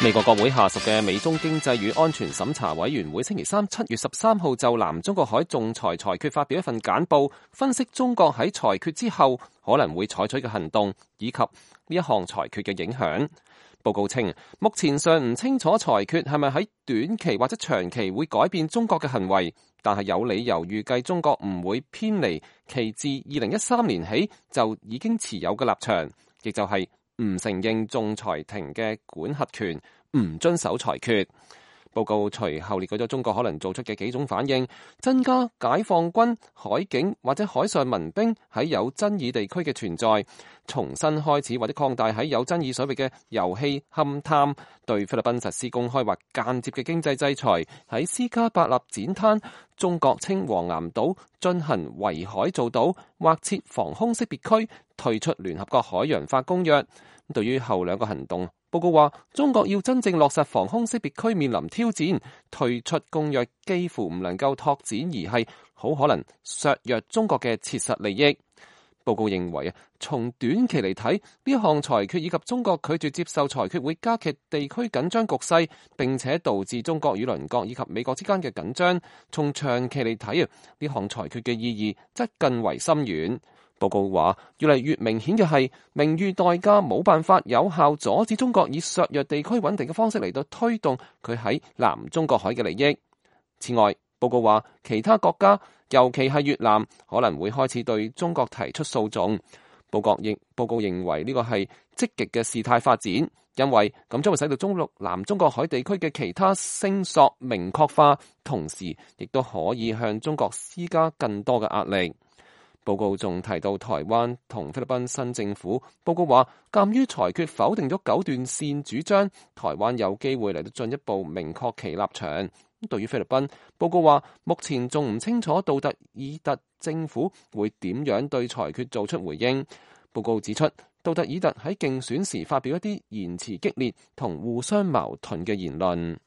美國國會下屬嘅美中經濟與安全審查委員會星期三7月13號就南中國海仲裁裁決發表一份簡報，分析中國喺裁決之後可能會採取嘅行動，以及呢一項裁決嘅影響。報告稱，目前尚唔清楚裁決係咪喺短期或者長期會改變中國嘅行為，但係有理由預計中國唔會偏離其自2013年起就已經持有嘅立場，亦就係唔承認仲裁庭嘅管轄權，唔遵守裁決。報告隨後列舉咗中國可能做出嘅幾種反應：增加解放軍、海警或者海上民兵喺有爭議地區嘅存在，重新開始或者擴大喺有爭議水域嘅油氣勘探，對菲律賓實施公開或間接嘅經濟制裁，喺斯卡伯納展灘、中國稱黃岩島進行圍海造島或設防空識別區，退出聯合國海洋法公約。對於後兩個行動，報告話中國要真正落實防空識別區面臨挑戰，退出公約幾乎唔能夠拓展，而係好可能削弱中國嘅切實利益。報告認為從短期嚟睇，呢一項裁決以及中國拒絕接受裁決會加劇地區緊張局勢，並且導致中國與鄰國以及美國之間嘅緊張。從長期嚟睇呢項裁決嘅意義則更為深遠。報告話，越嚟越明顯嘅係，名譽代價冇辦法有效阻止中國以削弱地區穩定嘅方式嚟到推動佢喺南中國海嘅利益。此外，報告話，其他國家，尤其係越南，可能會開始對中國提出訴訟。報告認為呢個係積極嘅事態發展，因為咁將會使到南中國海地區嘅其他聲索明確化，同時亦都可以向中國施加更多嘅壓力。報告仲提到台灣同菲律賓新政府。報告話，鑑於裁決否定咗九段線主張，台灣有機會嚟到進一步明確其立場。對於菲律賓，報告話目前仲唔清楚杜特爾特政府會點樣對裁決做出回應。報告指出，杜特爾特喺競選時發表一啲言辭激烈同互相矛盾嘅言論。